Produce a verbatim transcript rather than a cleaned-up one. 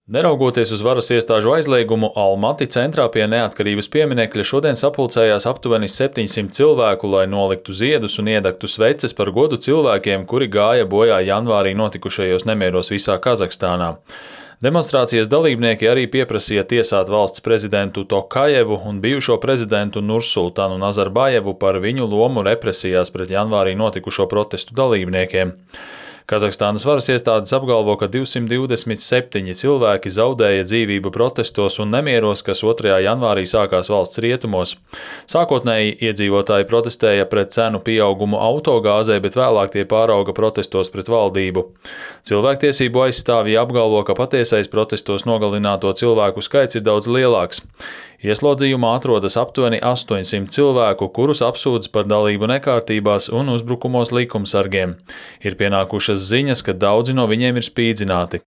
Neraugoties uz varas iestāžu aizliegumu, Almati centrā pie Neatkarības pieminekļa šodien sapulcējās aptuveni septiņsimt cilvēku, lai noliktu ziedus un iedegtu sveces par godu cilvēkiem, kuri gāja bojā janvārī notikušajos nemieros visā Kazahstānā. Demonstrācijas dalībnieki arī pieprasīja tiesāt valsts prezidentu Tokajevu un bijušo prezidentu Nursultanu Nazarbajevu par viņu lomu represijās pret janvārī notikušo protestu dalībniekiem. Kazahstānas varas iestādes apgalvo, ka divsimt divdesmit septiņi cilvēki zaudēja dzīvību protestos un nemieros, kas otrajā janvārī sākās valsts rietumos. Sākotnēji iedzīvotāji protestēja pret cenu pieaugumu autogāzē, bet vēlāk tie pārauga protestos pret valdību. Cilvēktiesību aizstāvji apgalvo, ka patiesais protestos nogalināto cilvēku skaits ir daudz lielāks. Ieslodzījumā atrodas aptuveni astoņsimt cilvēku, kurus apsūdz par dalību nekārtībās un uzbrukumos likumsargiem. Ir pienākušas ziņas, ka daudzi no viņiem ir spīdzināti.